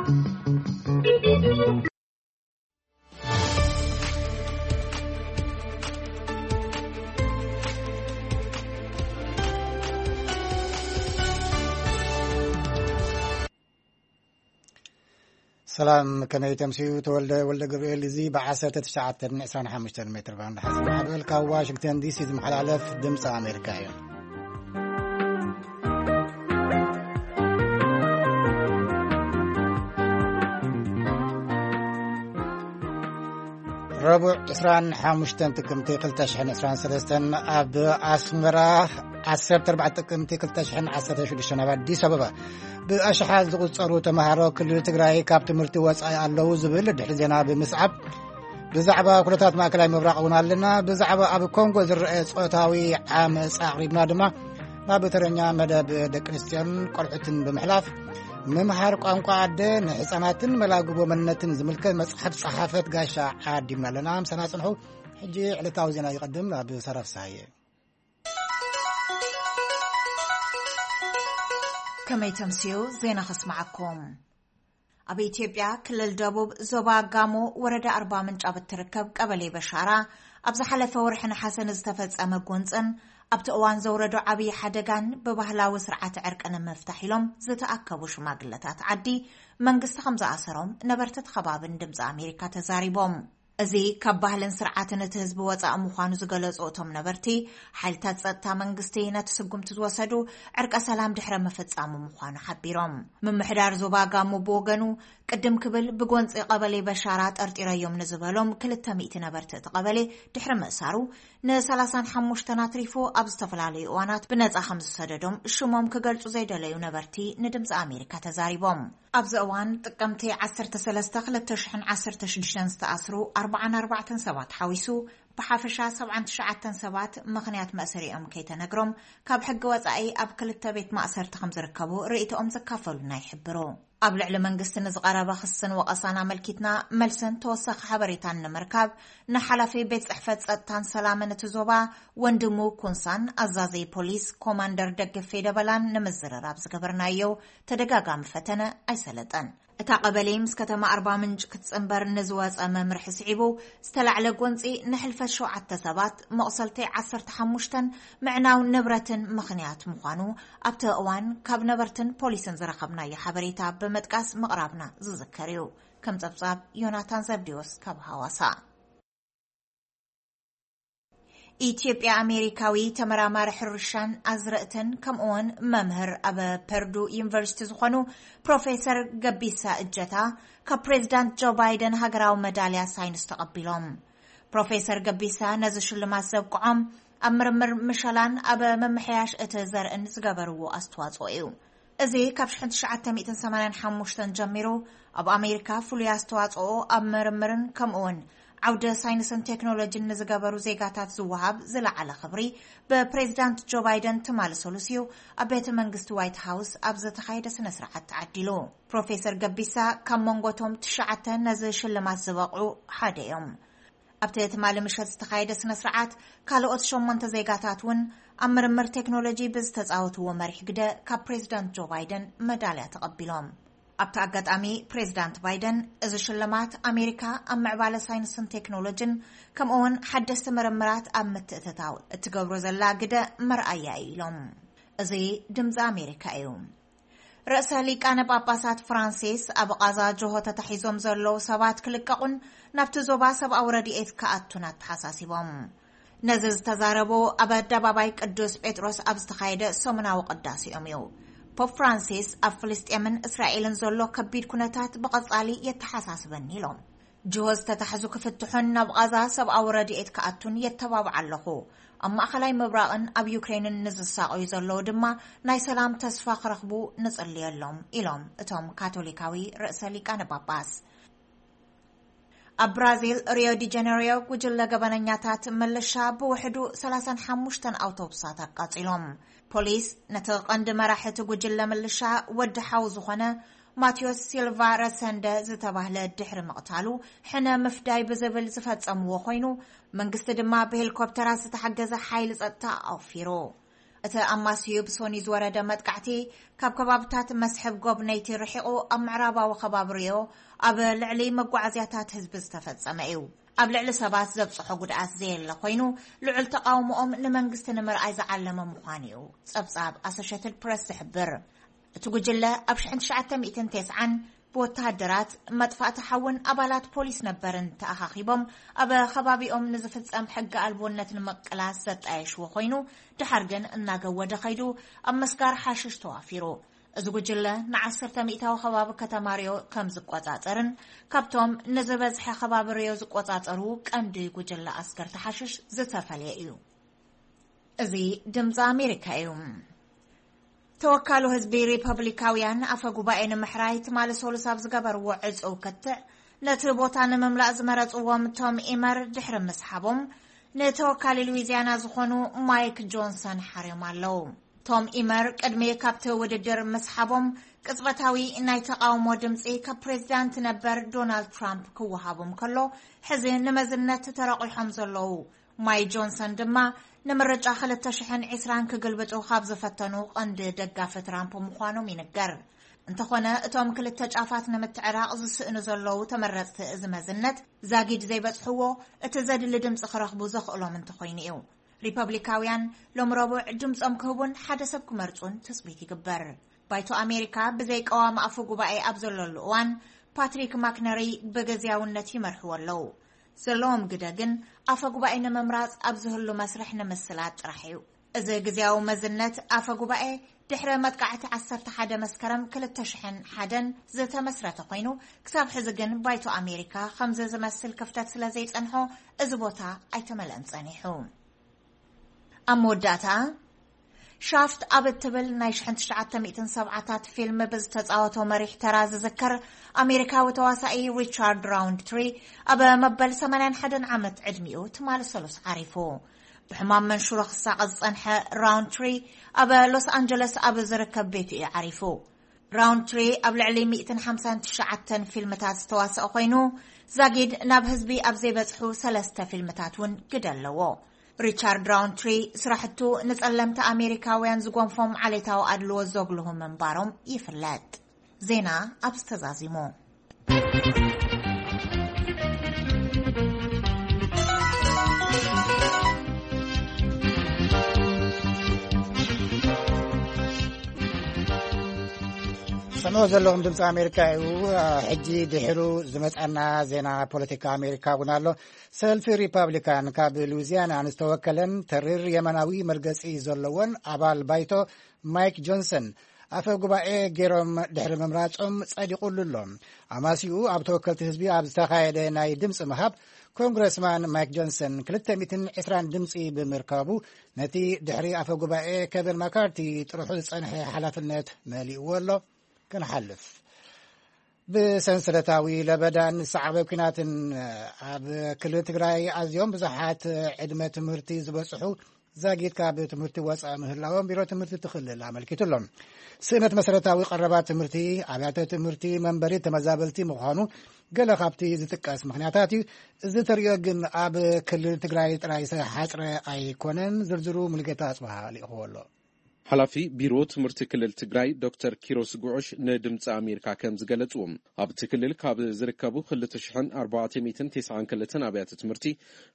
ሰላም፣ ከመይ ተምስዩ? ተወልደ ወልደ ገብርኤል። እዚ ብ19 25 ሜትር ባንድ ሓፂን ማዕበል ካብ ዋሽንግተን ዲሲ ዝመሓላለፍ ድምፂ ኣሜሪካ እዩ። ረቡዕ 25 ጥቅምቲ 2023 ኣብ ኣስመራ፣ 14 ጥቅምቲ 2016 ኣብ ኣዲስ ኣበባ ብኣሽሓት ዝቑጸሩ ተምሃሮ ክልል ትግራይ ካብ ትምህርቲ ወጻኢ ኣለዉ ዝብል ድሕሪ ዜና ብምስዓብ፣ ብዛዕባ ኩነታት ማእከላይ ምብራቕ እውን ኣለና። ብዛዕባ ኣብ ኮንጎ ዝረአ ጾታዊ ዓመጻ ኣቕሪብና ድማ ናብ ተረኛ መደብ ደቂ ኣንስትዮን ቆልዑትን ብምሕላፍ፣ ምምሃር ቋንቋ ኣደ ንህጻናትን መላግቦ መንነትን ዝምልከት መጽሓፍ ጸሓፈት ጋሻ ዓዲምና ኣለና። ምሳና ጽንሑ። ሕጂ ዕለታዊ ዜና ይቐድም። ናብ ሰራፍ ሳየ። ከመይ ተምስዩ? ዜና ከስማዓኩም። ኣብ ኢትዮጵያ ክልል ደቡብ ዞባ ጋሞ ወረዳ ኣርባ ምንጭ ኣብ እትርከብ ቀበሌ በሻራ ኣብ ዝሓለፈ ወርሒ ነሓሰ ንዝተፈጸመ ጎንጽን ኣብቲ እዋን ዘውረዶ ዓብዪ ሓደጋን ብባህላዊ ስርዓተ ዕርቂ ንምፍታሕ ኢሎም ዝተኣከቡ ሽማግለታት ዓዲ መንግስቲ ከም ዝኣሰሮም ነበርቲ እቲ ከባቢ ንድምፂ ኣሜሪካ ተዛሪቦም። እዚ ካብ ባህልን ስርዓትን እቲ ህዝቢ ወፃኢ ምዃኑ ዝገለፁ እቶም ነበርቲ፣ ሓይልታት ፀጥታ መንግስቲ ነቲ ስጉምቲ ዝወሰዱ ዕርቀ ሰላም ድሕረ ምፍፃሙ ምዃኑ ሓቢሮም። ምምሕዳር ዞባ ጋሞ ብወገኑ፣ ቅድም ክብል ብጎንፂ ቀበሌ በሻራ ጠርጢረዮም ንዝበሎም ክልተ ሚእቲ ነበርቲ እቲ ቀበሌ ድሕሪ ምእሳሩ፣ ን35 ኣትሪፉ ኣብ ዝተፈላለዩ እዋናት ብነፃ ከም ዝሰደዶም ሽሞም ክገልፁ ዘይደለዩ ነበርቲ ንድምፂ ኣሜሪካ ተዛሪቦም። ኣብዚ እዋን ጥቅምቲ 13 2016 ዝተኣስሩ 44 ሰባት ሓዊሱ ብሓፈሻ 79 ሰባት ምኽንያት መእሰሪኦም ከይተነግሮም ካብ ሕጊ ወጻኢ ኣብ ክልተ ቤት ማእሰርቲ ከም ዝርከቡ ርእይቶኦም ዘካፈሉና ይሕብሩ። ኣብ ልዕሊ መንግስቲ ንዝቐረበ ክስን ወቐሳን ኣመልኪትና መልስን ተወሳኺ ሓበሬታን ንምርካብ ንሓላፊ ቤት ጽሕፈት ጸጥታን ሰላምን እቲ ዞባ ወንድሙ ኩንሳን ኣዛዘይ ፖሊስ ኮማንደር ደግፌ ደበላን ንምዝርራብ ዝገበርናዮ ተደጋጋሚ ፈተነ ኣይሰለጠን። እታ ቀበሌ ምስ ከተማ ኣርባ ምንጭ ክትጽንበር ንዝወጸ መምርሒ ስዒቡ ዝተላዕለ ጎንጺ ንሕልፈት ሸውዓተ ሰባት፣ መቑሰልቲ 15፣ ምዕናው ንብረትን ምኽንያት ምዃኑ ኣብቲ እዋን ካብ ነበርትን ፖሊስን ዝረኸብናዮ ሓበሬታ ብምጥቃስ ምቕራብና ዝዝከር እዩ። ከም ጸብጻብ ዮናታን ዘብዲዎስ ካብ ሃዋሳ። ኢትዮጵያ ኣሜሪካዊ ተመራማሪ ሕርሻን ኣዝርእትን ከምኡውን መምህር ኣብ ፐርዱ ዩኒቨርሲቲ ዝኾኑ ፕሮፌሰር ገቢሳ እጀታ ካብ ፕሬዚዳንት ጆ ባይደን ሃገራዊ መዳልያ ሳይንስ ተቐቢሎም። ፕሮፌሰር ገቢሳ ነዚ ሽልማት ዘብቅዖም ኣብ ምርምር ምሸላን ኣብ ምምሕያሽ እቲ ዘርእን ዝገበርዎ ኣስተዋጽኦ እዩ። እዚ ካብ 1985 ጀሚሩ ኣብ ኣሜሪካ ፍሉይ ኣስተዋጽኦ ኣብ ምርምርን ከምኡውን ዓውደ ሳይንስን ቴክኖሎጂን ንዝገበሩ ዜጋታት ዝወሃብ ዝለዓለ ክብሪ ብፕሬዚዳንት ጆ ባይደን ትማሊ ሰሉስ እዩ ኣብ ቤተ መንግስቲ ዋይት ሃውስ ኣብ ዝተኻየደ ስነ ስርዓት ተዓዲሉ። ፕሮፌሰር ገቢሳ ካብ መንጎቶም ትሽዓተ ነዚ ሽልማት ዝበቕዑ ሓደ እዮም። ኣብቲ ትማሊ ምሸት ዝተኻየደ ስነ ስርዓት ካልኦት ሸሞንተ ዜጋታት እውን ኣብ ምርምር ቴክኖሎጂ ብዝተፃወትዎ መሪሕ ግደ ካብ ፕሬዚዳንት ጆ ባይደን መዳልያ ተቐቢሎም። ኣብቲ ኣጋጣሚ ፕሬዚዳንት ባይደን፣ እዚ ሽልማት ኣሜሪካ ኣብ ምዕባለ ሳይንስን ቴክኖሎጂን ከምኡውን ሓደስቲ ምርምራት ኣብ ምትእትታው እትገብሮ ዘላ ግደ መርኣያ እዩ ኢሎም። እዚ ድምፂ ኣሜሪካ እዩ። ርእሰ ሊቃነ ጳጳሳት ፍራንሲስ ኣብ ቓዛ ጆሆ ተታሒዞም ዘለዉ ሰባት ክልቀቑን ናብቲ ዞባ ሰብኣዊ ረድኤት ክኣቱን ኣተሓሳሲቦም። ነዚ ዝተዛረቡ ኣብ ኣደባባይ ቅዱስ ጴጥሮስ ኣብ ዝተኻየደ ሰሙናዊ ቅዳሴኦም እዩ። ፖፕ ፍራንሲስ፣ ኣብ ፍልስጤምን እስራኤልን ዘሎ ከቢድ ኩነታት ብቐጻሊ የተሓሳስበኒ ኢሎም። ጅሆ ዝተታሕዙ ክፍትሑን ናብ ቓዛ ሰብኣዊ ረድኤት ክኣቱን የተባብዓ ኣለኹ። ኣብ ማእኸላይ ምብራቕን ኣብ ዩክሬንን ንዝሳቐዩ ዘለዉ ድማ ናይ ሰላም ተስፋ ክረኽቡ ንጽልየሎም ኢሎም እቶም ካቶሊካዊ ርእሰ ሊቃነ ጳጳስ። ኣብ ብራዚል ሪዮ ዲ ጀነሪዮ ጉጅለ ገበነኛታት ምልሻ ብውሕዱ 35 ኣውቶቡሳት ኣቃጺሎም። ፖሊስ ነቲ ቀንዲ መራሒ እቲ ጉጅለ ምልሻ ወዲ ሓው ዝኾነ ማቴዎስ ሲልቫ ረሰንደ ዝተባህለ ድሕሪ ምቕታሉ ሕነ ምፍዳይ ብዝብል ዝፈጸምዎ ኮይኑ፣ መንግስቲ ድማ ብሄሊኮፕተራት ዝተሓገዘ ሓይሊ ጸጥታ ኣውፊሩ። እቲ ኣማስዩ ብሶኒ ዝወረደ መጥቃዕቲ፣ ካብ ከባብታት መስሕብ ጎብነይቲ ርሒቑ ኣብ ምዕራባዊ ከባቢ ሪዮ ኣብ ልዕሊ መጓዓዝያታት ህዝቢ ዝተፈጸመ እዩ። ኣብ ልዕሊ ሰባት ዘብጽሖ ጉድኣት ዘየለ ኮይኑ፣ ልዑል ተቓውሞኦም ንመንግስቲ ንምርኣይ ዝዓለመ ምዃኑ እዩ ጸብጻብ ኣሶሼትድ ፕረስ ዝሕብር። እቲ ጉጅለ ኣብ ሽሕን ትሽዓተ ሚእትን ተስዓን ብወተሃደራት፣ መጥፋእቲ ሓውን ኣባላት ፖሊስ ነበርን ተኣኻኺቦም ኣብ ከባቢኦም ንዝፍጸም ሕጊ ኣልቦነት ንምቅላስ ዘጣየሽዎ ኮይኑ፣ ድሓር ግን እናገወደ ከይዱ ኣብ መስጋር ሓሽሽ ተዋፊሩ። እዚ ጉጅለ ንዓሰርተ ሚእታዊ ከባቢ ከተማ ሪዮ ከም ዝቆጻጸርን ካብቶም ንዝበዝሐ ከባቢ ሪዮ ዝቆጻጸሩ ቀንዲ ጉጅለ ኣስገርቲ ሓሽሽ ዝተፈልየ እዩ። እዚ ድምፂ ኣሜሪካ እዩ። ተወካሉ ህዝቢ ሪፐብሊካውያን ኣፈ ጉባኤ ንምሕራይ ትማሊ ሰሉስ ኣብ ዝገበርዎ ዕፁው ክትዕ፣ ነቲ ቦታ ንምምላእ ዝመረፅዎም ቶም ኢመር ድሕሪ ምስሓቦም፣ ንተወካሊ ሉዊዚያና ዝኾኑ ማይክ ጆንሰን ሓርዮም ኣለዉ። ቶም ኢመር ቅድሚ ካብቲ ውድድር ምስሓቦም፣ ቅጽበታዊ ናይ ተቓውሞ ድምፂ ካብ ፕሬዚዳንት ነበር ዶናልድ ትራምፕ ክወሃቦም ከሎ፣ ሕዚ ንመዝነት ተረቑሖም ዘለዉ ማይ ጆንሰን ድማ፣ ንምርጫ ክልተ ሽሕን ዕስራን ክግልብጡ ካብ ዝፈተኑ ቀንዲ ደጋፊ ትራምፕ ምዃኖም ይንገር። እንተኾነ፣ እቶም ክልተ ጫፋት ንምትዕራቕ ዝስእኑ ዘለዉ ተመረጽቲ እዚ መዝነት፣ ዛጊድ ዘይበጽሕዎ፣ እቲ ዘድሊ ድምፂ ክረኽቡ ዘኽእሎም እንተኾይኑ እዩ። ሪፐብሊካውያን ሎም ረቡዕ ድምፆም ክህቡን ሓደ ሰብ ክመርፁን ትፅቢት ይግበር። ባይቶ ኣሜሪካ ብዘይ ቀዋሚ ኣፈ ጉባኤ ኣብ ዘለሉ እዋን፣ ፓትሪክ ማክነሪ ብግዝያውነት ይመርሕዎ ኣለዉ። ዘለዎም ግደ ግን ኣፈ ጉባኤ ንምምራፅ ኣብ ዝህሉ መስርሕ ንምስላጥ ጥራሕ እዩ። እዚ ግዝያዊ መዝነት ኣፈ ጉባኤ ድሕሪ መጥቃዕቲ ዓሰርተ ሓደ መስከረም ክልተ ሽሕን ሓደን ዝተመስረተ ኮይኑ፣ ክሳብ ሕዚ ግን ባይቶ ኣሜሪካ ከምዚ ዝመስል ክፍተት ስለ ዘይጸንሖ፣ እዚ ቦታ ኣይተመልአን ጸኒሑ። ኣብ መወዳእታ፣ ሻፍት ኣብ እትብል ናይ ሽሕን ትሽዓተ ሚእትን ሰብዓታት ፊልም ብዝተጻወቶ መሪሕ ተራ ዝዝከር ኣሜሪካዊ ተዋሳኢ ሪቻርድ ራውንድትሪ፣ ኣብ መበል ሰማንያን ሓደን ዓመት ዕድሚኡ ትማሊ ሰሉስ ዓሪፉ። ብሕማም መንሽሮ ክሳቐ ዝጸንሐ ራውንድትሪ፣ ኣብ ሎስ ኣንጀለስ ኣብ ዝርከብ ቤቱ እዩ ዓሪፉ። ራውንድትሪ ኣብ ልዕሊ ሚእትን ሓምሳን ትሽዓተን ፊልምታት ዝተዋስአ ኮይኑ፣ ዛጊድ ናብ ህዝቢ ኣብ ዘይበጽሑ ሰለስተ ፊልምታት እውን ግደ ኣለዎ። ሪቻርድ ራውንድትሪ፣ ስራሕቱ ንጸለምቲ ኣሜሪካውያን ዝጎንፎም ዓሌታዊ ኣድልዎ ዘጉልሁ ምንባሮም ይፍለጥ። ዜና ኣብዚ ተዛዚሙ። ሰምዑ ዘለኹም ድምፂ ኣሜሪካ እዩ። ሕጂ ድሕሩ ዝመፀና ዜና ፖለቲካ ኣሜሪካ እውን ኣሎ። ሰልፊ ሪፓብሊካን ካብ ሉዊዚያና ንዝተወከለን ተሪር የመናዊ መርገፂ ዘለዎን ኣባል ባይቶ ማይክ ጆንሰን ኣፈ ጉባኤ ገይሮም ድሕሪ ምምራጾም ጸዲቑሉ ኣሎ። ኣማሲኡ ኣብ ተወከልቲ ህዝቢ ኣብ ዝተኻየደ ናይ ድምፂ ምሃብ፣ ኮንግረስማን ማይክ ጆንሰን ክልተ ሚእትን ዕስራን ድምፂ ብምርካቡ፣ ነቲ ድሕሪ ኣፈ ጉባኤ ኬቨን ማካርቲ ጥርሑ ዝጸንሐ ሓላፍነት መሊእዎ ኣሎ። ክንሓልፍ፣ ብሰንሰለታዊ ለበዳን ሰዓበ ኲናትን ኣብ ክልል ትግራይ ኣዝዮም ብዙሓት ዕድመ ትምህርቲ ዝበጽሑ ዛጊድ ካብ ትምህርቲ ወፃኢ ምህላዎም ቢሮ ትምህርቲ እቲ ክልል ኣመልኪቱ ኣሎ። ስእነት መሰረታዊ ቀረባት ትምህርቲ፣ ኣብያተ ትምህርቲ፣ መንበሪ ተመዛበልቲ ምዃኑ ገለ ካብቲ ዝጥቀስ ምኽንያታት እዩ። እዚ ተሪኦ ግን ኣብ ክልል ትግራይ ጥራይ ዝተሓፅረ ኣይኮነን። ዝርዝሩ ሙሉጌታ ኣፅብሃ ልኢኽዎ ኣሎ። ሓላፊ ቢሮ ትምህርቲ ክልል ትግራይ ዶክተር ኪሮስ ጉዑሽ ንድምፂ ኣሜሪካ ከም ዝገለፅዎ፣ ኣብቲ ክልል ካብ ዝርከቡ ክልተ ሽሕን ኣርባዕተ ሚእትን ተስዓን ክልተን ኣብያተ ትምህርቲ፣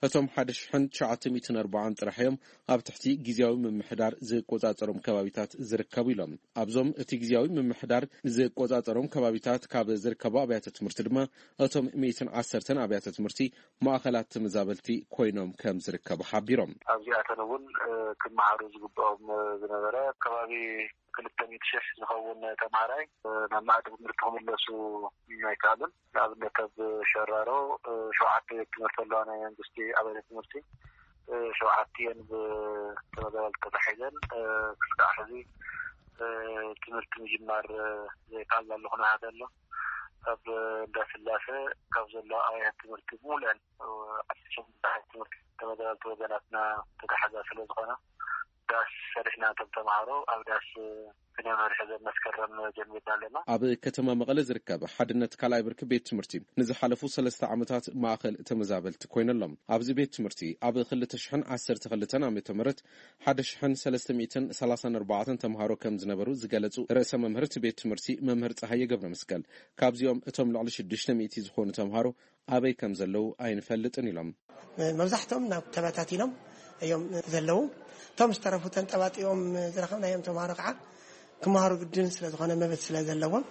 እቶም ሓደ ሽሕን ትሽዓተ ሚእትን ኣርባዓን ጥራሕ እዮም ኣብ ትሕቲ ግዝያዊ ምምሕዳር ዝቆፃፀሮም ከባቢታት ዝርከቡ ኢሎም። ኣብዞም እቲ ግዝያዊ ምምሕዳር ዝቆፃፀሮም ከባቢታት ካብ ዝርከቡ ኣብያተ ትምህርቲ ድማ፣ እቶም ሚእትን ዓሰርተን ኣብያተ ትምህርቲ ማእኸላት ተመዛበልቲ ኮይኖም ከም ዝርከቡ ሓቢሮም። ኣብዚኣተን እውን፣ እ፣ ክመሃሩ ዝግብኦም፣ እ፣ ዝነበረ ከባቢ ክልተ ሚእቲ ሺሕ ዝኸውን ተምሃራይ፣ እ፣ ናብ መኣዲ ትምህርቲ ክምለሱ ኣይከኣሉን። ንኣብነት ኣብ ሸራሮ፣ እ፣ ሸውዓተ ቤት ትምህርቲ ኣለዋ ናይ መንግስቲ ኣብያተ ትምህርቲ፣ እ፣ ሸውዓቲኤን ብተመዛበልቲ ተታሒዘን፣ እ፣ ክሳዕ ሕዚ፣ እ፣ ትምህርቲ ምጅማር፣ እ፣ ዘይከኣልናሉ ኩነታት ኣሎ። ኣብ እንዳስላሰ ካብ ዘለዋ ኣብያተ ትምህርቲ ሙሉአን፣ እ፣ ዓሰርተ ሸሞንተ ትምህርቲ ተመዛበልቲ ወገናትና ተታሓዛ ስለ ዝኾና፣ ዳስ ሰሪሕና፣ እቶም ተምሃሮ ኣብ ዳስ ክንመርሕ መስከረም ጀሚርና ኣለና። ኣብ ከተማ መቐለ ዝርከብ ሓድነት ካልኣይ ብርኪ ቤት ትምህርቲ ንዝሓለፉ ሰለስተ ዓመታት ማእኸል ተመዛበልቲ ኮይነሎም። ኣብዚ ቤት ትምህርቲ ኣብ ክልተ ሽሕን ዓሰርተ ክልተን ዓመተ ምህረት ሓደ ሽሕን ሰለስተ ሚእትን ሰላሳን ኣርባዕተን ተምሃሮ ከም ዝነበሩ ዝገለጹ ርእሰ መምህር እቲ ቤት ትምህርቲ መምህር ጸሃየ ገብረ መስቀል፣ ካብዚኦም እቶም ልዕሊ ሽዱሽተ ሚእቲ ዝኾኑ ተምሃሮ ኣበይ ከም ዘለዉ ኣይንፈልጥን ኢሎም። መብዛሕትኦም ናብ ተበታቲኖም እዮም ዘለዉ። እቶም ዝተረፉ ተንጠባጢቦም ዝረኸብናዮም ተምሃሮ ከዓ ክመሃሩ ግድን ስለ ዝኾነ መብት ስለ ዘለዎም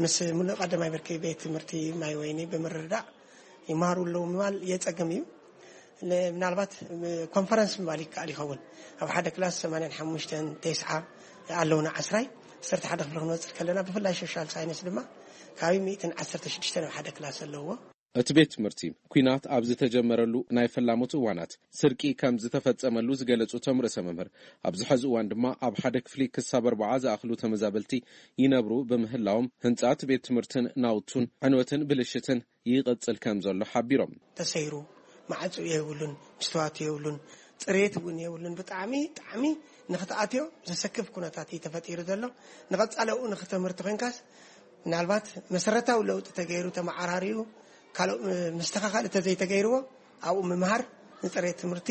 ምስ ሙሉእ ቀዳማይ ብርኪ ቤት ትምህርቲ ማይ ወይኒ ብምርድዳእ ይመሃሩ ኣለዉ ምባል የጸግም እዩ። ለ-፣ ምናልባት ኮንፈረንስ ምባል ይከኣል ይኸውን። ኣብ ሓደ ክላስ ሰማንያን ሓሙሽተን፣ ተስዓ ኣለውና፣ ዓስራይ፣ ዓሰርተ ሓደ ክፍሊ ክንወጽእ ከለና ብፍላይ ሶሻል ሳይንስ ድማ ካብ ሚእትን ዓሰርተ ሽዱሽተ ናብ ሓደ ክላስ ኣለዎ። እቲ ቤት ትምህርቲ ኲናት ኣብ ዝተጀመረሉ ናይ ፈላሞት እዋናት ስርቂ ከም ዝተፈጸመሉ ዝገለጹ እቶም ርእሰ መምህር፣ ኣብዚ ሕዚ እዋን ድማ ኣብ ሓደ ክፍሊ ክሳብ ኣርባዓ ዝኣኽሉ ተመዛበልቲ ይነብሩ ብምህላዎም ህንጻት ቤት ትምህርትን ናውቱን ዕንወትን ብልሽትን ይቕጽል ከም ዘሎ ሓቢሮም። ተሰይሩ፣ ማዕጾ የብሉን፣ ምስትዋት የብሉን፣ ጽሬት እውን የብሉን። ብጣዕሚ፣ ጣዕሚ ንኽትኣትዮ ዘሰክፍ ኩነታት እዩ ተፈጢሩ ዘሎ። ንቐጻሊ ኣብኡ ንኽተምህርቲ ኮይንካስ ምናልባት መሰረታዊ ለውጢ ተገይሩ ተመዓራሪዩ ካልእ፣ እ፣ ምስተኻኻል እንተዘይተገይርዎ ኣብኡ ምምሃር ንጽሬት ትምህርቲ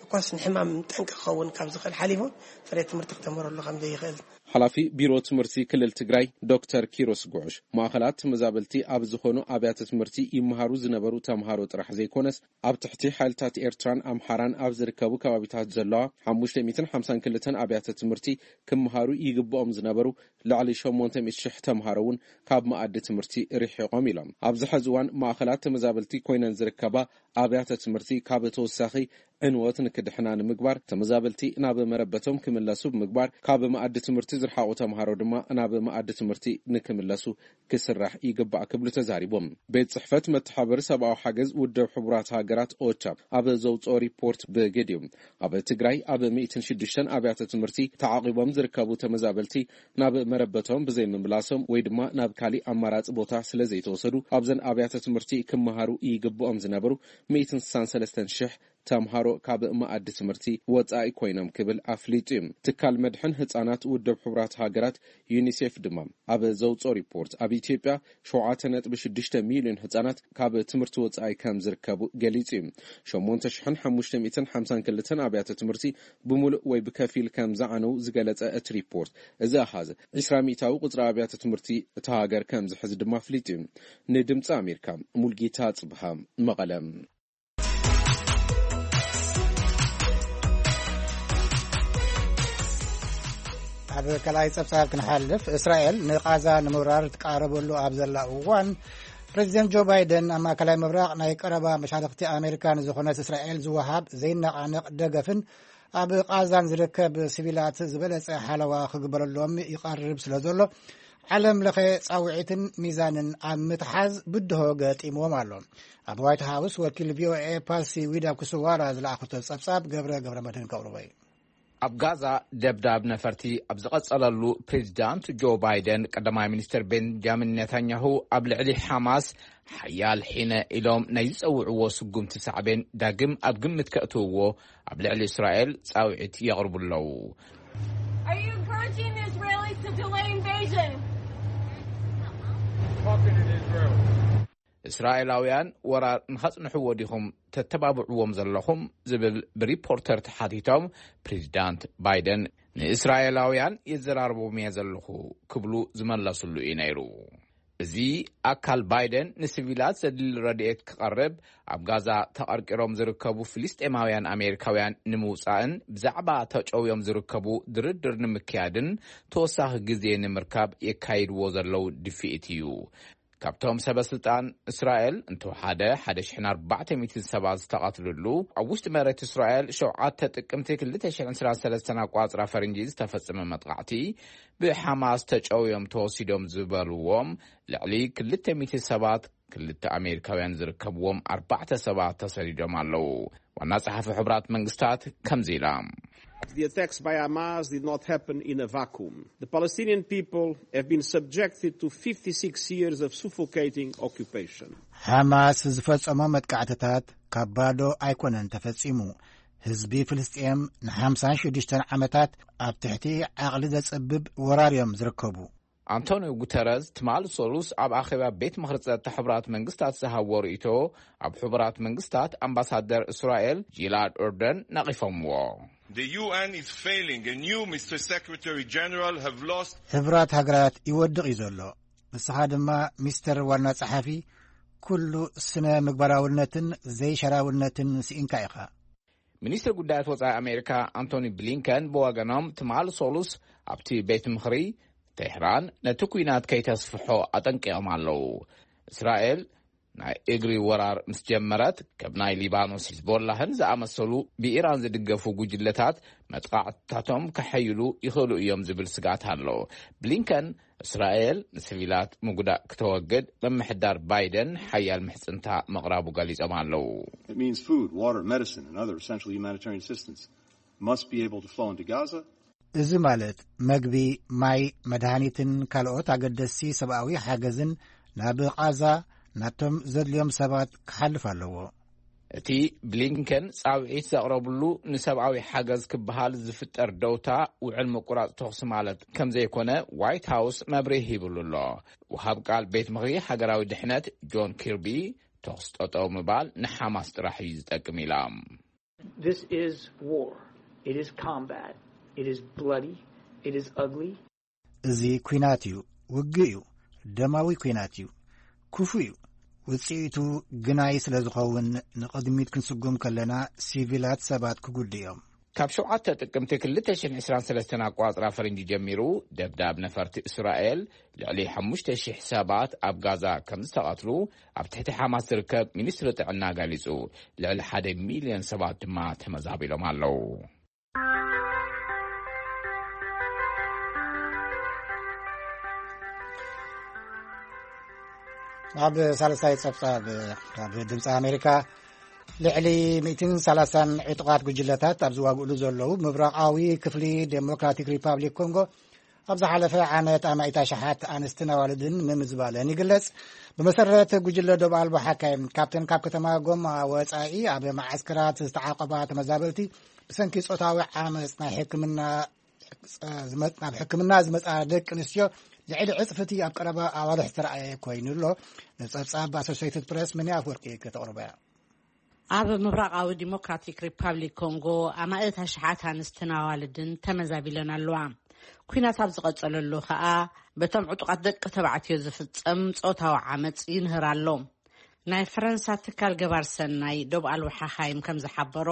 እኳስ ንሕማም ጠንቂ ክኸውን ካብ ዝኽእል ሓሊፉ ጽሬት ትምህርቲ ክተምህረሉ ከም ዘይኽእል። ሓላፊ ቢሮ ትምህርቲ ክልል ትግራይ ዶክተር ኪሮስ ጉዑሽ፣ ማእኸላት ተመዛበልቲ ኣብ ዝኾኑ ኣብያተ ትምህርቲ ይመሃሩ ዝነበሩ ተምሃሮ ጥራሕ ዘይኮነስ ኣብ ትሕቲ ሓይልታት ኤርትራን ኣምሓራን ኣብ ዝርከቡ ከባቢታት ዘለዋ ሓሙሽተ ሚእትን ሓምሳን ክልተን ኣብያተ ትምህርቲ ክመሃሩ ይግብኦም ዝነበሩ ልዕሊ ሸሞንተ ሚእቲ ሽሕ ተምሃሮ እውን ካብ መኣዲ ትምህርቲ ርሒቖም ኢሎም። ኣብዚ ሕዚ እዋን ማእኸላት ተመዛበልቲ ኮይነን ዝርከባ ኣብያተ ትምህርቲ ካብ ተወሳኺ ዕንወት ንክድሕና ንምግባር ተመዛበልቲ ናብ መረበቶም ክምለሱ ብምግባር ካብ መኣዲ ትምህርቲ ዝረሓቑ ተምሃሮ ድማ ናብ መኣዲ ትምህርቲ ንክምለሱ ክስራሕ ይግባእ ክብሉ ተዛሪቦም። ቤት ጽሕፈት መተሓበሪ ሰብኣዊ ሓገዝ ውድብ ሕቡራት ሃገራት ኦቻ ኣብ ዘውፅኦ ሪፖርት ብግዲኡ ኣብ ትግራይ ኣብ ሚእትን ሽዱሽተን ኣብያተ ትምህርቲ ተዓቂቦም ዝርከቡ ተመዛበልቲ ናብ መረበቶም ብዘይምምላሶም ወይ ድማ ናብ ካሊእ ኣማራፂ ቦታ ስለ ዘይተወሰዱ ኣብዘን ኣብያተ ትምህርቲ ክመሃሩ ይግብኦም ዝነበሩ ሚእትን ስሳን ሰለስተን ሽሕ ተምሃሮ ካብ መኣዲ ትምህርቲ ወጻኢ ኮይኖም ክብል ኣፍሊጡ እዩ። ትካል መድሕን ህጻናት ውድብ ሕቡራት ሃገራት ዩኒሴፍ ድማ ኣብ ዘውፅኦ ሪፖርት ኣብ ኢትዮጵያ ሸውዓተ ነጥቢ ሽዱሽተ ሚልዮን ህጻናት ካብ ትምህርቲ ወጻኢ ከም ዝርከቡ ገሊጹ እዩ። ሸሞንተ ሽሕን ሓሙሽተ ሚእትን ሓምሳን ክልተን ኣብያተ ትምህርቲ ብምሉእ ወይ ብከፊል ከም ዝዓነው ዝገለጸ እቲ ሪፖርት፣ እዚ ኣሃዝ ዒስራ ሚእታዊ ቁጽሪ ኣብያተ ትምህርቲ እታ ሃገር ከም ዝሕዝ ድማ ኣፍሊጡ እዩ። ንድምፂ ኣሜሪካ ሙልጌታ ጽብሃ መቐለ። ኣብ ካልኣይ ጸብጻብ ክንሓልፍ፣ እስራኤል ንቓዛ ንምውራር ትቃረበሉ ኣብ ዘላ እዋን፣ ፕሬዚደንት ጆ ባይደን ኣብ ማእከላይ ምብራቕ ናይ ቀረባ መሻርኽቲ ኣሜሪካ ንዝኾነት እስራኤል ዝወሃብ ዘይነቓነቕ ደገፍን ኣብ ቓዛን ዝርከብ ሲቪላት ዝበለጸ ሓለዋ ክግበረሎም ይቐርብ ስለ ዘሎ፣ ዓለም ለኸ ጻውዒትን ሚዛንን ኣብ ምትሓዝ ብድሆ ገጢምዎም ኣሎ። ኣብ ዋይት ሃውስ ወኪል ቪኦኤ ፓሲ ዊዳ ኩስዋራ ዝለኣኹቶ ጸብጻብ ገብረ ገብረ መድህን ከቕርቦ እዩ። ኣብ ጋዛ ደብዳብ ነፈርቲ ኣብ ዝቐጸለሉ፣ ፕሬዚዳንት ጆ ባይደን ቀዳማይ ሚኒስትር ቤንጃሚን ኔታንያሁ ኣብ ልዕሊ ሓማስ ሓያል ሒነ ኢሎም ናይ ዝጸውዕዎ ስጉምቲ ሳዕቤን ዳግም ኣብ ግምት ከእትውዎ ኣብ ልዕሊ እስራኤል ጻውዒት የቕርቡ ኣለዉ። Are you encouraging the Israelis to delay invasion? እስራኤላውያን ወራር ንኸጽንሕዎ ዲኹም ተተባብዕዎም ዘለኹም? ዝብል ብሪፖርተር ተሓቲቶም፣ ፕሬዚዳንት ባይደን ንእስራኤላውያን የዘራርቦም እየ ዘለኹ ክብሉ ዝመለሱሉ እዩ ነይሩ። እዚ ኣካል ባይደን ንሲቪላት ዘድሊ ረድኤት ክቐርብ፣ ኣብ ጋዛ ተቐርቂሮም ዝርከቡ ፍልስጤማውያን ኣሜሪካውያን ንምውጻእን ብዛዕባ ተጨውዮም ዝርከቡ ድርድር ንምክያድን ተወሳኺ ግዜ ንምርካብ የካይድዎ ዘለዉ ድፍኢት እዩ። ካብቶም ሰበ ስልጣን እስራኤል እንተወሓደ ሓደ ሽሕን ኣርባዕተ ሚእትን ሰባት ዝተቐትልሉ፣ ኣብ ውሽጢ መሬት እስራኤል ሸውዓተ ጥቅምቲ ክልተ ሽሕን ዕስራን ሰለስተን ኣቋጽራ ፈረንጂ ዝተፈጸመ መጥቃዕቲ ብሓማስ ተጨውዮም ተወሲዶም ዝበልዎም ልዕሊ ክልተ ሚእቲ ሰባት፣ ክልተ ኣሜሪካውያን ዝርከብዎም ኣርባዕተ ሰባት ተሰዲዶም ኣለዉ። ዋና ጸሓፊ ሕቡራት መንግስታት ከምዚ ኢላ። The attacks by Hamas did not happen in a vacuum. The Palestinian people have been subjected to fifty-six years of suffocating occupation. ሓማስ ዝፈጸሞ መጥቃዕትታት ካብ ባዶ ኣይኮነን ተፈጺሙ። ህዝቢ ፍልስጤም ንሓምሳን ሽዱሽተን ዓመታት ኣብ ትሕቲ ዓቕሊ ዘጽብብ ወራር እዮም ዝርከቡ። ኣንቶኒዮ ጉተረዝ ትማሊ ሰሉስ ኣብ ኣኼባ ቤት ምኽሪ ጸጥታ ሕቡራት መንግስታት ዝሃብዎ ርእይቶ፣ ኣብ ሕቡራት መንግስታት ኣምባሳደር እስራኤል ጂላድ ኦርደን ነቒፎምዎ። The U N is failing and you, Mister Secretary General, have lost. ሕቡራት ሃገራት ይወድቕ እዩ ዘሎ። ንስኻ ድማ ሚስተር ዋና ጸሓፊ፣ ኩሉ ስነ ምግባራውነትን ዘይሸራውነትን ስኢንካ ኢኻ። ሚኒስትሪ ጉዳያት ወጻኢ ኣሜሪካ ኣንቶኒ ብሊንከን ብወገኖም ትማሊ ሰሉስ ኣብቲ ቤት ምኽሪ ቴህራን ነቲ ኲናት ከይተስፍሖ ኣጠንቂቖም ኣለዉ። እስራኤል ናይ እግሪ ወራር ምስ ጀመረት፣ ከም ናይ ሊባኖስ ሂዝቦላህን ዝኣመሰሉ ብኢራን ዝድገፉ ጉጅለታት መጥቃዕትታቶም ከሐይሉ ይኽእሉ እዮም ዝብል ስጋት ኣሎ። ብሊንከን እስራኤል ንሲቪላት ምጉዳእ ክተወግድ ምምሕዳር ባይደን ሓያል ምሕጽንታ ምቕራቡ ገሊጾም ኣለዉ። It means food, water, medicine, and other essential humanitarian assistance must be able to flow into Gaza. እዚ ማለት መግቢ፣ ማይ፣ መድሃኒትን ካልኦት ኣገደስቲ ሰብኣዊ ሓገዝን ናብ ቓዛ ናብቶም ዘድልዮም ሰባት ክሓልፍ ኣለዎ። እቲ ብሊንከን ጻውዒት ዘቕረብሉ ንሰብኣዊ ሓገዝ ክበሃል ዝፍጠር ደውታ ውዕል ምቁራጽ ተኹሲ ማለት ከም ዘይኮነ ዋይት ሃውስ መብርሂ ሂብሉ ኣሎ። ወሃብ ቃል ቤት ምኽሪ ሃገራዊ ድሕነት ጆን ኪርቢ፣ ተኹሲ ጠጠው ምባል ንሓማስ ጥራሕ እዩ ዝጠቅም ኢላ። This is war. It is combat. It is bloody. It is ugly. እዚ ኲናት እዩ፣ ውግእ እዩ፣ ደማዊ ኲናት እዩ፣ ክፉእ እዩ። ውጽኢቱ ግናይ ስለ ዝኸውን ንቕድሚት ክንስጉም ከለና ሲቪላት ሰባት ክጉዱ እዮም። ካብ ሸውዓተ ጥቅምቲ ክልተ ሽሕን ዕስራን ሰለስተን ኣቋጽራ ፈረንጂ ጀሚሩ ደብዳብ ነፈርቲ እስራኤል ልዕሊ ሓሙሽተ ሽሕ ሰባት ኣብ ጋዛ ከም ዝተቐትሉ ኣብ ትሕቲ ሓማስ ዝርከብ ሚኒስትሪ ጥዕና ገሊጹ። ልዕሊ ሓደ ሚልዮን ሰባት ድማ ተመዛቢሎም ኣለዉ። ኣብ ሳልሳይ ጸብጻብ ካብ ድምፂ ኣሜሪካ፣ ልዕሊ ሚእትን ሰላሳን ዕጡቓት ጉጅለታት ኣብ ዝዋግእሉ ዘለዉ ምብራቓዊ ክፍሊ ዴሞክራቲክ ሪፓብሊክ ኮንጎ ኣብ ዝሓለፈ ዓመት ኣማኢት ኣሽሓት ኣንስትን ኣዋልድን ምምዝባለን ይግለጽ። ብመሰረት ጉጅለ ዶብ ኣልቦ ሓካይም፣ ካብተን ካብ ከተማ ጎማ ወጻኢ ኣብ መዓስከራት ዝተዓቆባ ተመዛበልቲ ብሰንኪ ጾታዊ ዓመጽ ናይ ሕክምና ናብ ሕክምና ዝመጻ ደቂ ኣንስትዮ ልዕሊ ዕጽፍቲ ኣብ ቀረባ ኣዋርሕ ዝተረኣየ ኮይኑ ኣሎ። ንጸብጻብ ኣሶሲየትድ ፕረስ መኒ ኣፍወርቂ ከተቕርቦ እያ። ኣብ ምብራቓዊ ዲሞክራቲክ ሪፓብሊክ ኮንጎ ኣማእት ኣሽሓት ኣንስትን ኣዋልድን ተመዛቢለን ኣለዋ። ኲናት ኣብ ዝቐጸለሉ ኸኣ በቶም ዕጡቓት ደቂ ተባዕትዮ ዝፍጸም ጾታዊ ዓመጽ ይንህር ኣሎ። ናይ ፈረንሳ ትካል ገባር ሰናይ ዶብ ኣልቦ ሓኻይም ከም ዝሓበሮ፣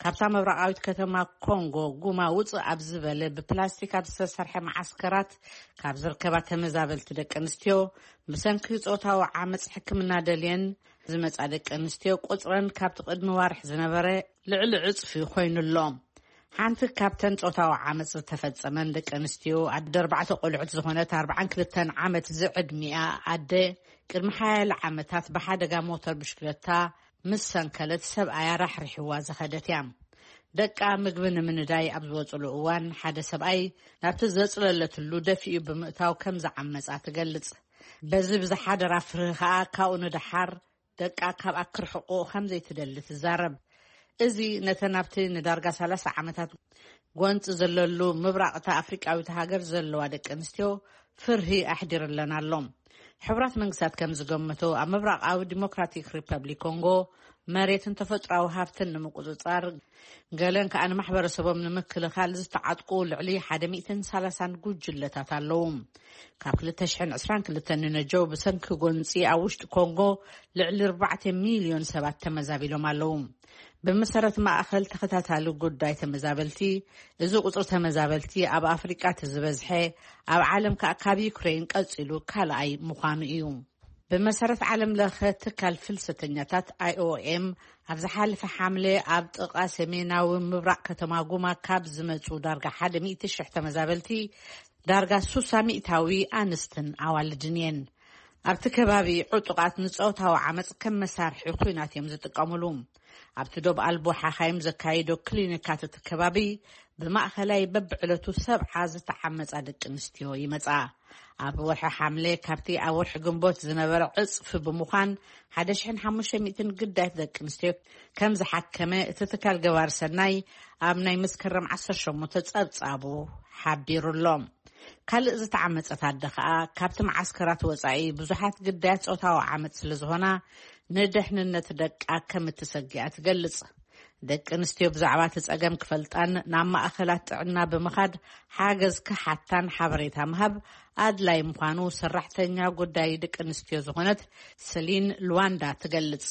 ካብታ ምብራቓዊት ከተማ ኮንጎ ጉማ ውጽእ ኣብ ዝበለ ብፕላስቲክ ኣብ ዝተሰርሐ መዓስከራት ካብ ዝርከባ ተመዛበልቲ ደቂ ኣንስትዮ ብሰንኪ ጾታዊ ዓመጽ ሕክምና ደልየን ዝመጻ ደቂ ኣንስትዮ ቁጽረን ካብቲ ቅድሚ ዋርሕ ዝነበረ ልዕሊ ዕጽፊ ኮይኑ ኣሎ። ሓንቲ ካብተን ጾታዊ ዓመጽ ዝተፈጸመን ደቂ ኣንስትዮ ኣደ ኣርባዕተ ቆልዑት ዝኾነት ኣርባዓን ክልተን ዓመት ዝዕድሚኣ ኣደ ቅድሚ ሓያለ ዓመታት ብሓደጋ ሞተር ብሽክለታ ምስ ሰንከለት ሰብኣያ ራሕሪሕዋ ዝኸደት እያ። ደቃ ምግቢ ንምንዳይ ኣብ ዝወጽሉ እዋን ሓደ ሰብኣይ ናብቲ ዘጽለለትሉ ደፊኡ ብምእታው ከም ዝዓመጻ ትገልጽ። በዚ ብዝሓደራ ፍርሂ ከኣ ካብኡ ንደሓር ደቃ ካብ ኣክርሕቆ ከም ዘይትደሊ ትዛረብ። እዚ ነተን ኣብቲ ንዳርጋ ሰላሳ ዓመታት ጎንፂ ዘለሉ ምብራቕታ ኣፍሪቃዊት ሃገር ዘለዋ ደቂ ኣንስትዮ ፍርሂ ኣሕዲርለን ኣሎ። ሕቡራት መንግስታት ከም ዝገመቶ ኣብ ምብራቓዊ ዲሞክራቲክ ሪፐብሊክ ኮንጎ መሬትን ተፈጥሮዊ ሃብትን ንምቁፅፃር ገለን ከኣ ንማሕበረሰቦም ንምክልኻል ዝተዓጥቁ ልዕሊ ሓደ ሚእትን ሰላሳን ጉጅለታት ኣለዉ። ካብ ክልተ ሽሕን ዕስራን ክልተን ንነጀው ብሰንኪ ጎንፂ ኣብ ውሽጢ ኮንጎ ልዕሊ ኣርባዕተ ሚልዮን ሰባት ተመዛቢሎም ኣለዉ። ብመሰረት ማእኸል ተኸታታሊ ጉዳይ ተመዛበልቲ፣ እዚ ቁፅሪ ተመዛበልቲ ኣብ ኣፍሪቃ እቲ ዝበዝሐ ኣብ ዓለም ከኣ ካብ ዩክሬን ቀፂሉ ካልኣይ ምዃኑ እዩ። ብመሰረት ዓለም ለኸ ትካል ፍልሰተኛታት ኣይ ኦ ኤም ኣብ ዝሓለፈ ሓምለ ኣብ ጥቓ ሰሜናዊ ምብራቕ ከተማ ጉማ ካብ ዝመፁ ዳርጋ ሓደ ሚእቲ ሽሕ ተመዛበልቲ ዳርጋ ሱሳ ሚእታዊ ኣንስትን ኣዋልድን እየን። ኣብቲ ከባቢ ዕጡቓት ንፆታዊ ዓመፅ ከም መሳርሒ ኲናት እዮም ዝጥቀሙሉ። ኣብቲ ዶብ ኣልቦ ሓኻይም ዘካይዶ ክሊኒካት እቲ ከባቢ ብማእኸላይ በብዕለቱ ሰብዓ ዝተሓመጻ ደቂ ኣንስትዮ ይመጻ። ኣብ ወርሒ ሓምለ ካብቲ ኣብ ወርሒ ግንቦት ዝነበረ ዕጽፊ ብምዃን ሓደ ሽሕን ሓሙሽተ ሚእትን ግዳያት ደቂ ኣንስትዮ ከም ዝሓከመ እቲ ትካል ገባር ሰናይ ኣብ ናይ መስከረም ዓሰርተ ሸሞንተ ጸብጻቡ ሓቢሩ ኣሎ። ካልእ ዝተዓመጸት ኣደ ከኣ ካብቲ መዓስከራት ወጻኢ ብዙሓት ግዳያት ጾታዊ ዓመጽ ስለ ዝኾና ንደሕንነት ደቃ ከም እትሰግኣ ትገልጽ። ደቂ ኣንስትዮ ብዛዕባ እቲ ጸገም ክፈልጣን ናብ ማእኸላት ጥዕና ብምኻድ ሓገዝ ክሓታን ሓበሬታ ምሃብ ኣድላይ ምዃኑ ሰራሕተኛ ጉዳይ ደቂ ኣንስትዮ ዝኾነት ሰሊን ሉዋንዳ ትገልጽ።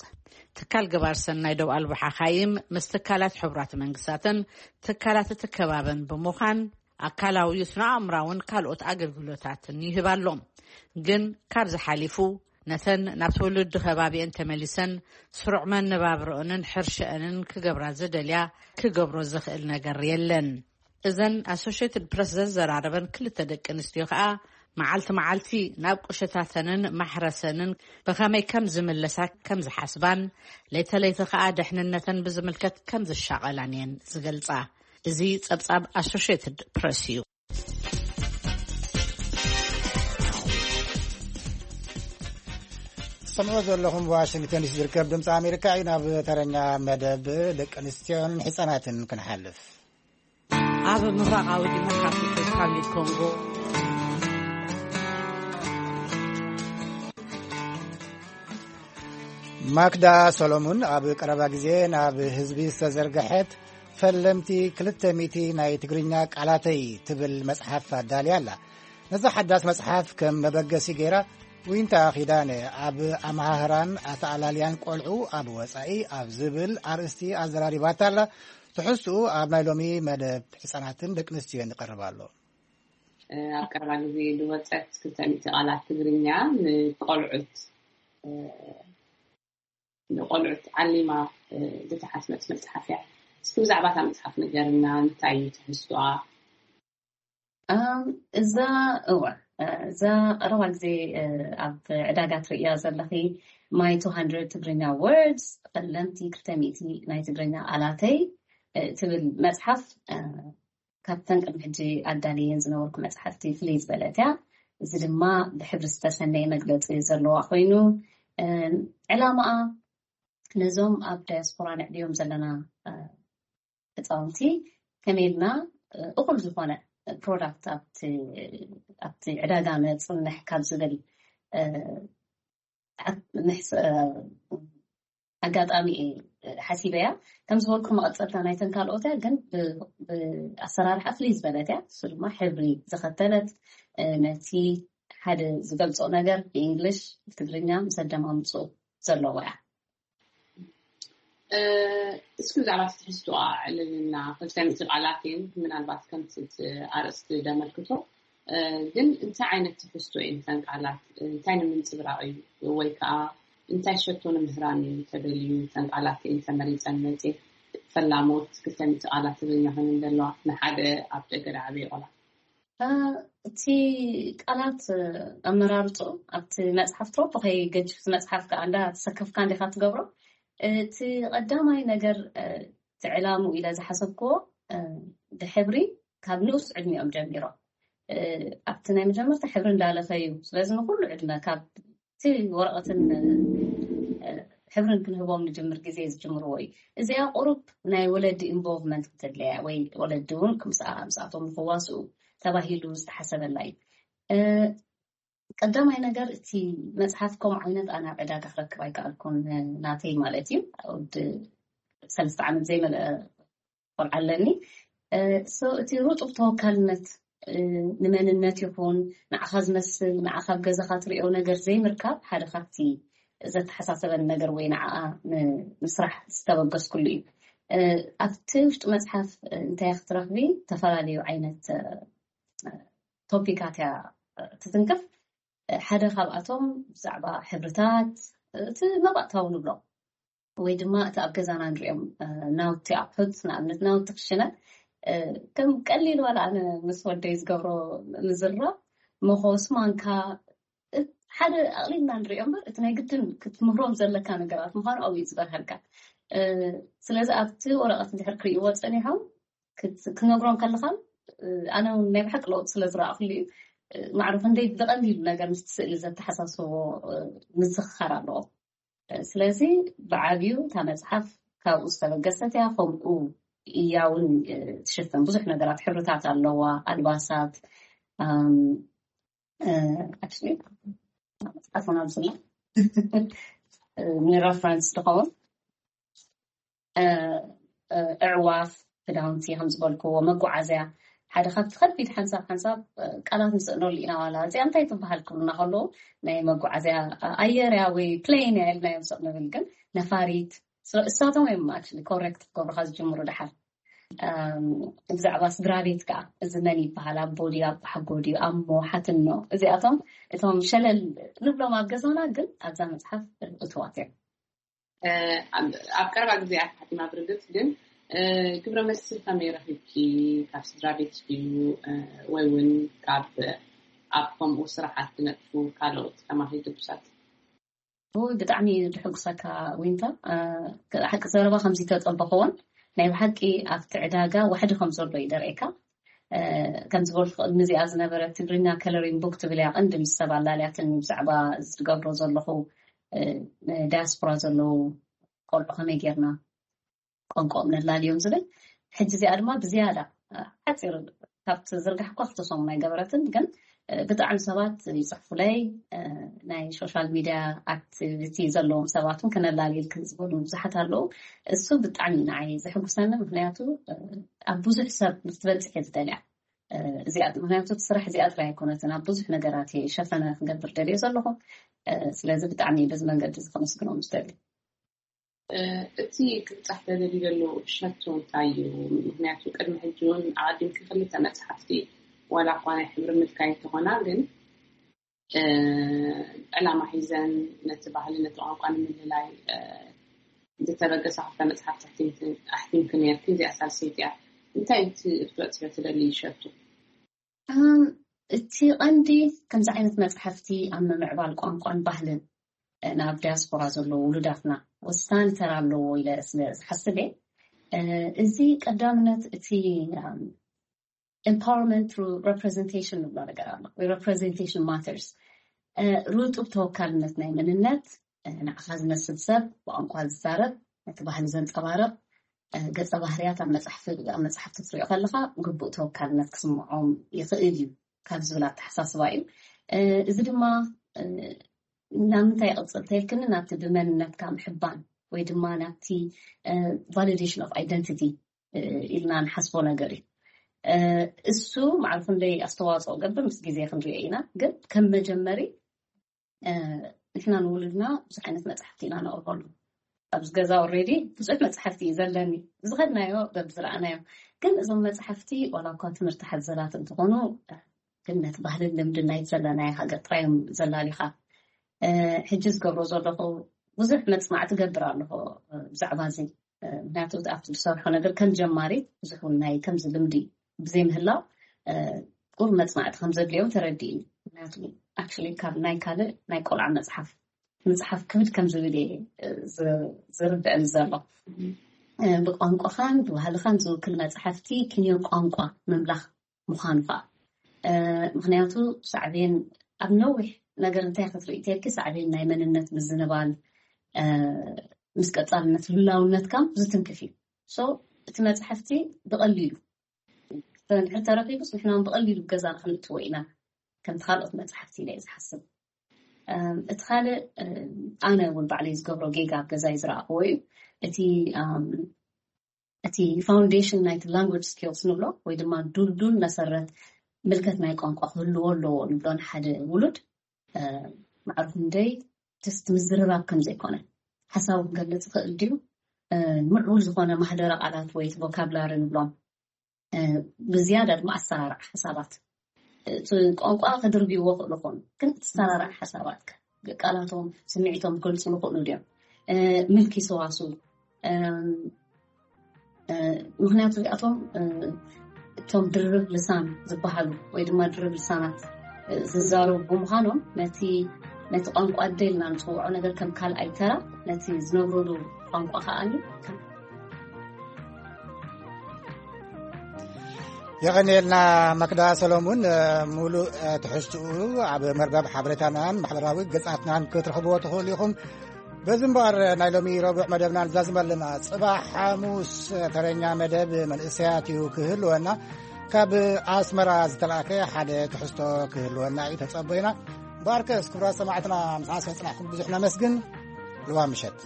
ትካል ገባር ሰናይ ደው ኣልቦ ሓኻይም ምስ ትካላት ሕቡራት መንግስታትን ትካላት እቲ ከባብን ብምዃን ኣካላዊ ስነ ኣእምራውን ካልኦት ኣገልግሎታትን ይህብ ኣሎ። ግን ካብዚ ሓሊፉ ነተን ናብ ትውልዲ ከባቢአን ተመሊሰን ስሩዕ መነባብሮኦንን ሕርሸአንን ክገብራ ዝደልያ ክገብሮ ዝኽእል ነገር የለን። እዘን ኣሶሽየትድ ፕረስ ዘዘራረበን ክልተ ደቂ ኣንስትዮ ከኣ መዓልቲ መዓልቲ ናብ ቁሸታተንን ማሕረሰንን ብኸመይ ከም ዝምለሳ ከም ዝሓስባን ለይተ ለይተ ከኣ ደሕንነተን ብዝምልከት ከም ዝሻቐላን እየን ዝገልጻ። እዚ ጸብጻብ ኣሶሽየትድ ፕረስ እዩ። ትሰምዑ ዘለኹም ዋሽንግተን ዲሲ ዝርከብ ድምፂ ኣሜሪካ እዩ። ናብ ተረኛ መደብ ደቂ ኣንስትዮን ህፃናትን ክንሓልፍ። ኣብ ምብራቓዊ ዲሞክራቲክ ሪፓብሊክ ኮንጎ ማክዳ ሰሎሙን ኣብ ቀረባ ግዜ ናብ ህዝቢ ዝተዘርግሐት ፈለምቲ ክልተ ሚእቲ ናይ ትግርኛ ቃላተይ ትብል መጽሓፍ ኣዳልያ ኣላ። ነዛ ሓዳስ መጽሓፍ ከም መበገሲ ገይራ ዊንታ ኪዳነ ኣብ ኣመሃህራን ኣተኣላልያን ቆልዑ ኣብ ወጻኢ ኣብ ዝብል ኣርእስቲ ኣዘራሪባታ ኣላ። ትሕዝትኡ ኣብ ናይ ሎሚ መደብ ህጻናትን ደቂ ኣንስትዮን ይቐርብ ኣሎ። ኣብ ቀረባ ግዜ ዝወጸት ክልተ ሚእቲ ቃላት ትግርኛ ንቆልዑት፣ ንቆልዑት ዓሊማ ዝተሓትመት መጽሓፍ እያ። እስኪ ብዛዕባ እታ መጽሓፍ ንገርና፣ እንታይ እዩ ትሕዝቶኣ? እዛ እወ እዛ ቀረባ ግዜ ኣብ ዕዳጋ ትርእያ ዘለኺ My two hundred Tigrinya Words፣ ፈለምቲ ክልተ ሚእቲ ናይ ትግርኛ ቃላተይ ትብል መጽሓፍ፣ ካብተን ቅድሚ ሕጂ ኣዳልየን ዝነበርኩ መጽሓፍቲ ፍልይ ዝበለት እያ። እዚ ድማ ብሕብሪ ዝተሰነየ መግለጺ ዘለዋ ኮይኑ፣ ዕላማኣ ነዞም ኣብ ዳያስፖራ ንዕብዮም ዘለና ህፃውንቲ ከመይ ኢልና እኹል ዝኾነ ፕሮዳክት ኣብቲ ዕዳጋ ነፅንሕ ካብ ዝብል ኣጋጣሚ ሓሲበያ። ከም ዝበልኩ መቐፀልታ ናይተን ካልኦት እያ፣ ግን ብኣሰራርሓ ፍልይ ዝበለት እያ። እሱ ድማ ሕብሪ ዝኸተለት፣ ነቲ ሓደ ዝገልፆ ነገር ብእንግሊሽ ብትግርኛ ምስ ኣደማምፅኡ ዘለዎ እያ። እስኪ ብዛዕባ እቲ ትሕዝቶኣ ኣዕልልና። ክልተ ሚእቲ ቃላት እየን ምናልባት ከምቲ እቲ ኣርእስቲ ዘመልክቶ፣ ግን እንታይ ዓይነት ትሕዝቶ እየን እተን ቃላት? እንታይ ንምንፅብራቕ እዩ ወይ ከዓ እንታይ ሸቶ ንምህራን እዩ ተደልዩ? እተን ቃላት እየን ተመሪፀን መፅየን። ፈላሞት ክልተ ሚእቲ ቃላት ትግርኛ ኮይነን ዘለዋ ንሓደ ኣብ ደገ ዝዓበየ ቆልዓ። እቲ ቃላት ኣመራርፅኡ ኣብቲ መፅሓፍ ትሮፖ ከይገጅፍ፣ መፅሓፍ ከዓ እንዳ ተሰከፍካ እንዲካ ትገብሮ። እቲ ቀዳማይ ነገር፣ እቲ ዕላምኡ ኢለ ዝሓሰብክዎ፣ ብሕብሪ ካብ ንኡስ ዕድሚኦም ጀሚሮም ኣብቲ ናይ መጀመርታ ሕብሪ እንዳለኸዩ፣ ስለዚ ንኩሉ ዕድመ ካብ እቲ ወረቐትን ሕብርን ክንህቦም ንጅምር ግዜ ዝጅምርዎ እዩ። እዚኣ ቁሩብ ናይ ወለዲ ኢንቮልቭመንት ክትድለያ ወይ ወለዲ እውን ምስኣ ምስኣቶም ንክዋስኡ ተባሂሉ ዝተሓሰበላ እዩ። ቀዳማይ ነገር፣ እቲ መፅሓፍ ከምኡ ዓይነት ኣነ ኣብ ዕዳጋ ክረክብ ኣይከኣልኩን፣ ናተይ ማለት እዩ። ወዲ ሰለስተ ዓመት ዘይመልአ ቆልዓ ኣለኒ። እቲ ሩጡብ ተወካልነት፣ ንመንነት ይኹን ንዓኻ ዝመስል፣ ንዓኻ ኣብ ገዛኻ ትሪኦ ነገር ዘይምርካብ ሓደ ካብቲ ዘተሓሳሰበን ነገር ወይ ንዓኣ ንምስራሕ ዝተበገስኩሉ እዩ። ኣብቲ ውሽጢ መፅሓፍ እንታይ ክትረኽቢ? ዝተፈላለዩ ዓይነት ቶፒካት እያ ትትንክፍ። ሓደ ካብኣቶም ብዛዕባ ሕብርታት፣ እቲ መባእታዊ ንብሎ ወይ ድማ እቲ ኣብ ገዛና ንሪኦም ናውቲ ኣቑሑት፣ ንኣብነት ናውቲ ክሽነ፣ ከም ቀሊል ዋላ ኣነ ምስ ወደይ ዝገብሮ ምዝራብ፣ መኾስ፣ ማንካ፣ ሓደ ኣቕሊልና ንሪኦ እምበር እቲ ናይ ግድን ክትምህሮም ዘለካ ነገራት ምዃኑ ኣብኡ እዩ ዝበርሃልካ። ስለዚ ኣብቲ ወረቐት እንድሕር ክርእይዎ ፀኒሖም ክትነግሮም ከለኻ ኣነ ናይ ብሓቂ ለውጥ ስለ ዝረኣኽሉ እዩ። ማዕሩፍ እንደይ ብቐሊሉ ነገር ምስቲ ስእሊ ዘተሓሳስቦ ምዝኽኻር ኣለዎ። ስለዚ ብዓብዩ እታ መፅሓፍ ካብኡ ዝተበገሰት እያ። ከምኡ እያ እውን ትሽፍን ብዙሕ ነገራት፣ ሕብርታት ኣለዋ፣ ኣልባሳት፣ ኣክቹዋሊ መፅሓፍ ውን ኣብዝላ ንረፈረንስ ዝኸውን ኣዕዋፍ፣ ክዳውንቲ ከም ዝበልክዎ፣ መጓዓዝያ ሓደ ካብቲ ከቢድ ሓንሳብ ሓንሳብ ቃላት ንስእነሉ ኢና። ዋላ እዚኣ እንታይ ትበሃል ክብሉና ከለዉ ናይ መጓዓዝያ ኣየር እያ ወይ ፕሌን እያ ኢልና እዮም ስቕ ንብል፣ ግን ነፋሪት እሳቶም እዮም ኣክቹዋሊ ኮሬክት ክገብሩካ ዝጅምሩ ድሓር። ብዛዕባ ስድራ ቤት ከዓ እዚ መን ይበሃል፣ ኣቦ ድዩ፣ ኣቦሓጎ ድዩ፣ ኣሞ፣ ሓትኖ፣ እዚኣቶም እቶም ሸለል ንብሎም ኣብ ገዛና ግን ኣብዛ መፅሓፍ እትዋት እዮም። ኣብ ቀረባ ግዜያት ሓቲማ ብርግፅ ግን ግብረ መልሲ ከመይ ረኺብኪ? ካብ ስድራ ቤት ድዩ ወይ እውን ካብ ኣብ ከምኡ ስራሓት ትነጥፉ ካልኦት ተማሂ ግዱሳት? ብጣዕሚ ድሕጉሰካ ዊንታ። ሓቂ ዘረባ ከምዚ ተጠበኽዎን ናይ ብሓቂ ኣብቲ ዕዳጋ ዋሕዲ ከም ዘሎ ይደርእካ። ከም ዝበልኩ ቅድሚ እዚኣ ዝነበረ ትግርኛ ከለሪንግ ቡክ ትብል እያ ቀንዲ ምስ ሰብ ኣላልያትን ብዛዕባ ዝገብሮ ዘለኹ ዳያስፖራ ዘለዉ ቆልዑ ከመይ ጌርና ቋንቋኦም ነላልዮም ዝብል። ሕጂ እዚኣ ድማ ብዝያዳ ሓፂር ካብቲ ዝርጋሕ እኳ ክልተ ሰሙን ኣይገበረትን፣ ግን ብጣዕሚ ሰባት ይፅሕፉለይ። ናይ ሶሻል ሚድያ ኣክቲቪቲ ዘለዎም ሰባት እውን ክነላልየልክን ዝበሉ ብዙሓት ኣለዉ። እሱ ብጣዕሚ ንዓይ ዘሕጉሰኒ፣ ምክንያቱ ኣብ ብዙሕ ሰብ ንክትበፅሕ እየ ዝደልያ እዚኣ፣ ምክንያቱ እቲ ስራሕ እዚኣ ጥራይ ኣይኮነትን፣ ኣብ ብዙሕ ነገራት እየ ሸፈነ ክገብር ደልየ ዘለኹ። ስለዚ ብጣዕሚ በዚ መንገዲ እዚ ከመስግኖም ዝደሊ። እቲ ክብፃሕ ተደልዩ ዘሎ ሸቶ እንታይ እዩ? ምክንያቱ ቅድሚ ሕጂ እውን ኣቐዲምኪ ክልተ መፅሓፍቲ ዋላ እኳ ናይ ሕብሪ ምልካይ እንተኾና ግን ዕላማ ሒዘን ነቲ ባህሊ ነቲ ቋንቋ ንምልላይ ዝተበገሳ ክልተ መፅሓፍቲ ኣሕቲምኪ ነርኪ። እዚኣ ሳልሰይቲ እያ። እንታይ እቲ ክትበፅሕዮ ትደሊ ሸቶ? እቲ ቀንዲ ከምዚ ዓይነት መፅሓፍቲ ኣብ ምምዕባል ቋንቋን ባህልን ናብ ዲያስፖራ ዘለዉ ውሉዳትና ወሳኒ ተራ ኣለዎ ኢለ ስለ ዝሓስብ እየ። እዚ ቀዳምነት እቲ empowerment through representation ንብሎ ነገር ኣሎ ወይ representation matters። ርጡብ ተወካልነት ናይ መንነት፣ ንዓኻ ዝመስል ሰብ ብቋንቋ ዝዛረብ፣ ነቲ ባህሊ ዘንፀባርቕ ገፀ ባህርያት ኣብ መፅሓፍቲ ክትሪኦ ከለኻ ግቡእ ተወካልነት ክስምዖም ይኽእል እዩ ካብ ዝብል ኣተሓሳስባ እዩ። እዚ ድማ ናብ ምንታይ ይቕፅል ተይልክኒ ናብቲ ብመንነትካ ምሕባን ወይ ድማ ናብቲ validation of identity ኢልና ንሓስቦ ነገር እዩ። እሱ ማዕርፉ እንደይ ኣስተዋፅኦ ገብር ምስ ግዜ ክንሪኦ ኢና፣ ግን ከም መጀመሪ ንሕና ንውሉድና ብዙሕ ዓይነት መፅሓፍቲ ኢና ነቕርበሉ። ኣብዚ ገዛ already ብዙሕ መፅሓፍቲ እዩ ዘለኒ፣ ዝኸድናዮ በብዝረኣናዮ። ግን እዞም መፅሓፍቲ ዋላ እኳ ትምህርቲ ሓዘላት እንትኾኑ ግን ነቲ ባህልን ልምድን ናይቲ ዘለናዮ ሃገር ጥራይ እዮም ዘላሊኻ። ሕጂ ዝገብሮ ዘለኹ ብዙሕ መፅናዕቲ ገብር ኣለኹ ብዛዕባ እዚ። ምክንያቱ ኣብቲ ዝሰርሖ ነገር ከም ጀማሪት ብዙሕ እውን ናይ ከምዚ ልምዲ ብዘይምህላው ቁሩብ መፅናዕቲ ከም ዘድልዮም ተረዲእኒ። ምክንያቱ actually ካብ ናይ ካልእ ናይ ቆልዓ መፅሓፍ ምፅሓፍ ክብድ ከም ዝብል እየ ዝርድአኒ ዘሎ። ብቋንቋኻን ብባህልኻን ዝውክል መፅሓፍቲ ክንዮ ቋንቋ ምምላኽ ምዃኑ ከዓ ምክንያቱ ሳዕቤን ኣብ ነዊሕ ነገር እንታይ ክትርኢ ተልኪ ሳዕቤን ናይ መንነት ምዝንባል ምስ ቀፃልነት ህላውነትካ ዝትንክፍ እዩ። So እቲ መፅሓፍቲ ብቐሊሉ እንድሕር ተረኪቡስ ንሕና እውን ብቐሊሉ ገዛና ክንእትዎ ኢና ከምቲ ካልኦት መፅሓፍቲ ኢለ እየ ዝሓስብ። እቲ ካልእ ኣነ እውን ባዕለይ ዝገብሮ ጌጋ ኣብ ገዛይ ዝረኣኽዎ እዩ። እቲ እቲ foundation ናይቲ language skills ንብሎ ወይ ድማ ዱልዱል መሰረት ምልከት ናይ ቋንቋ ክህልዎ ኣለዎ ንብሎ ንሓደ ውሉድ ማዕርፉ እንደይ just ምዝርራብ ከም ዘይኮነ ሓሳቡ ክገልፅ ይኽእል ድዩ? ምዕቡል ዝኾነ ማህደረ ቃላት ወይ vocabulary ንብሎም ብዝያዳ ድማ ኣሰራርዓ ሓሳባት እቲ ቋንቋ ከድርብይዎ ክእሉ ኾኑ ግን ኣሰራርዓ ሓሳባት ቃላቶም ስምዒቶም ክገልፁ ይኽእሉ ድዮም? ምልኪ ሰዋስው ምክንያቱ እዚኣቶም እቶም ድርብ ልሳን ዝበሃሉ ወይ ድማ ድርብ ልሳናት ዝዛረቡ ብምዃኖም ነቲ ነቲ ቋንቋ ኣደ ኢልና ንፅውዖ ነገር ከም ካልኣይ ተራ ነቲ ዝነብሩሉ ቋንቋ ከዓኒ የቐንየልና ማክዳ ሰሎሙን። ሙሉእ ትሕዝትኡ ኣብ መርበብ ሓበሬታናን ማሕበራዊ ገጻትናን ክትረኽብዎ ትኽእሉ ኢኹም። በዚ እምበኣር ናይ ሎሚ ረቡዕ መደብና ንዛዝም ኣለና። ጽባሕ ሓሙስ ተረኛ መደብ መንእሰያት እዩ ክህልወና። ካብ ኣስመራ ዝተላእከ ሓደ ትሕዝቶ ክህልወና እዩ ተጸበዩና። እምበኣርከስ ክቡራት ሰማዕትና፣ ምሳና ስለ ጽናሕኩም ብዙሕ ነመስግን። ልዋ ምሸት።